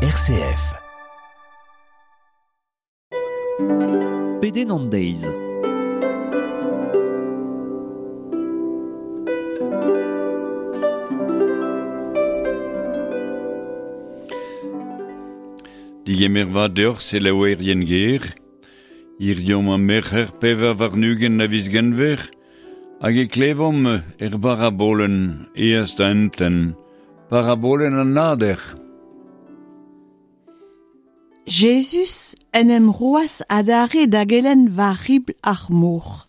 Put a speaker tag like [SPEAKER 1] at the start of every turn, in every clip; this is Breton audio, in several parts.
[SPEAKER 1] RCF.
[SPEAKER 2] Pedenn an deiz.
[SPEAKER 3] Digemer vat deoc'h selaouerien ger, Hiziv emañ merc'her 24 a viz Genver, hag e klevomp er barabolenn aes da entent, parabolenn an nader.
[SPEAKER 4] Jezuz en em roas adarre da gelenn war ribl ar mor.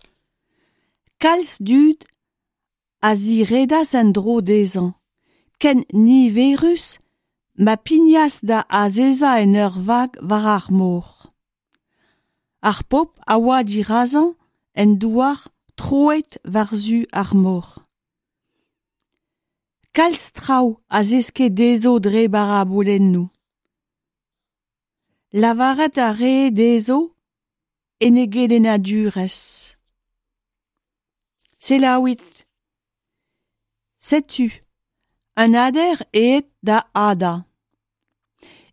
[SPEAKER 4] Kalz dud a ziredas en-dro dezhañ, ken niverus ma pignas da azezañ en ur vag war ar mor. Ar pobl a oa dirazañ en douar troet war-zu ar mor. Kalz traoù a zeske dezho dre barabolennoù. Lavaret a rae dezho en e gelennadurezh. Selaouit. Setu un hader aet da hadañ.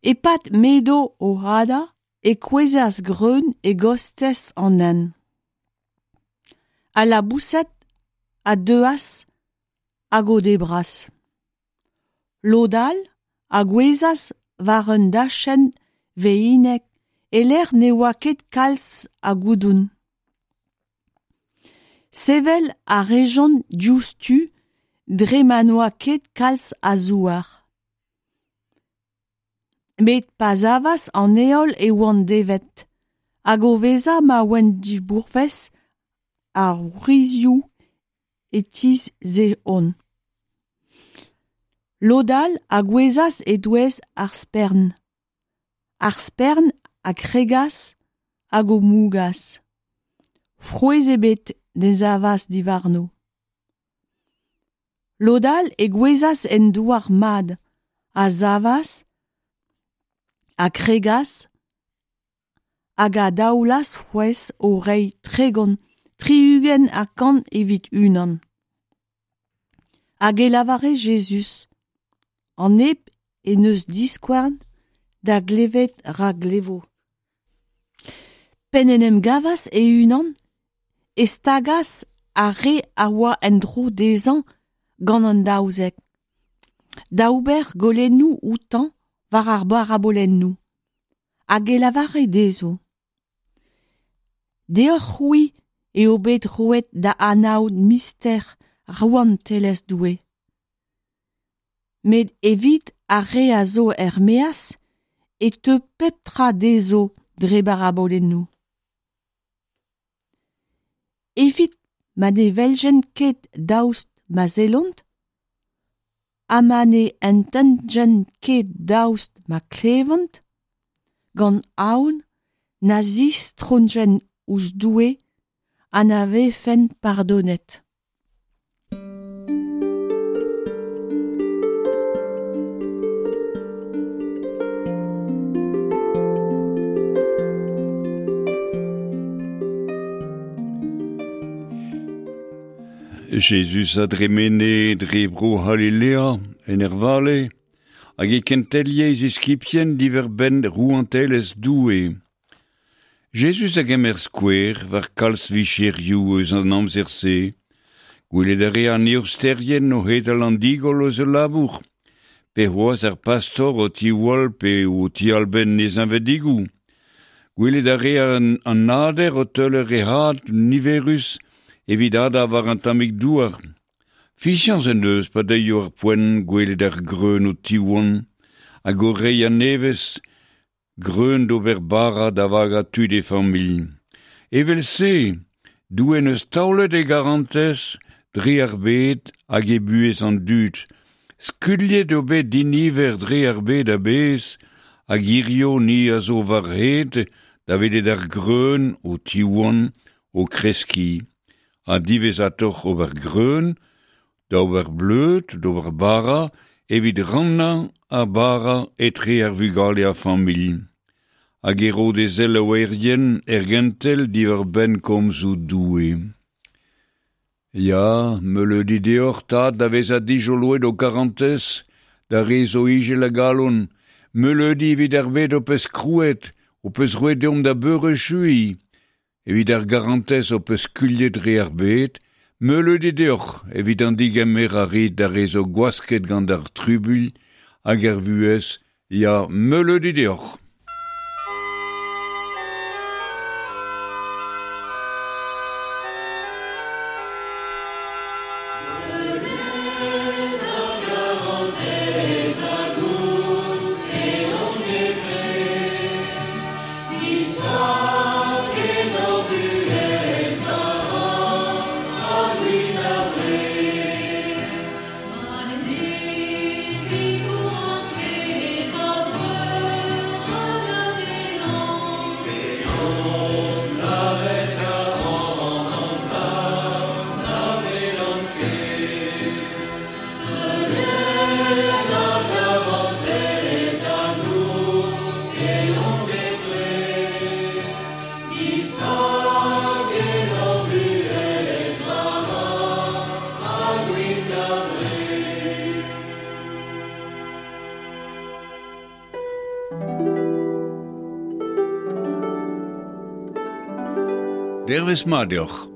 [SPEAKER 4] E-pad m'edo o hadañ e kouezhas greun e-kostez an hent. Al laboused a deuas hag o debras. Lod all a gouezhas war un dachenn veinek e-lec'h ne oa ket kalz a goudoun. Sevel a rejont diouzhtu dre ma n'oa ket kalz a zouar. Met pa savas an heol e oant devet, hag o vezañ ma oant dibourvez a wrizioù e tizhjont. Lod all a gouezhas e-touez ar spern. Ar spern a kregas hag o mougas. Frouezh ebet ne savas diwarno. Lod all e gouezhas en douar mat, a savas, a kregas hag a daolas frouezh o reiñ 30, 60 ha 100 evit unan. Hag e lavare Jezuz, an neb en deus diskouarn da glevet ra glevo. P'en em gavas e-unan e stagas ar re a oa en-dro dezhañ gant an 12, da ober goulennoù outañ war ar barabolennoù, hag e lavare dezho. Deoc'h-c'hwi eo bet roet da anaout mister rouantelezh Doue. Met evit ar re a zo er-maez e teu pep tra dezho dre barabolennoù. Evit ma ne weljent ket daoust ma sellont, ha ma ne ententjent ket daoust ma klevont, gant aon na zistrojent ouzh Doue ha na vefent pardonet.
[SPEAKER 3] Jezuz a dremene dre bro C'halilea en ur vale, hag e kentelie e ziskibien diwar-benn rouantelezh Doue. Jezuz a gemer skouer war kalz vicherioù eus an amzer-se. Gwelet a rea an eosterien o hedal an digoll eus ul labour, pe c'hoazh ar pastor o tiwall pe o tialbenn e zeñvedigoù. Gwelet a rea an nader o teuler e had niverus evit hadañ war an tammig douar. Fiziañs en deus pa deuio ar poent gwelet ar greun o tiwan hag o reiñ a-nevez greun d'ober bara da vagañ tud e familh. Evel-se, Doue en deus taolet e garantez dre ar bed hag e buhez an dud. Skuilhet eo bet diniver dre ar bed a-bezh hag hiziv ni a zo war-hed da welet ar greun o tiwan, o kreskiñ. Ha diwezhatoc'h ober greun, d'ober bleud, d'ober bara, evit rannañ ar bara etre ar vugale a familh. Hag e ro d'e selaouerien er gentel diwar-benn komzoù Doue. Ya, meuleudi deoc'h tad da vezañ dijoloet ho karantez, d'ar re zo ijil a galon, Meuleudi evit ar bed ho peus krouet, ho peus roet deomp da beurechui, evit ar garantez ho peus skuilhet dre ar bed, meuleudi deoc'h evit an digemer a rit d'ar re zo gwasket gant ar trubuilh hag ar vuhez, ya meuleudi deoc'h. Dervez mat deoc'h.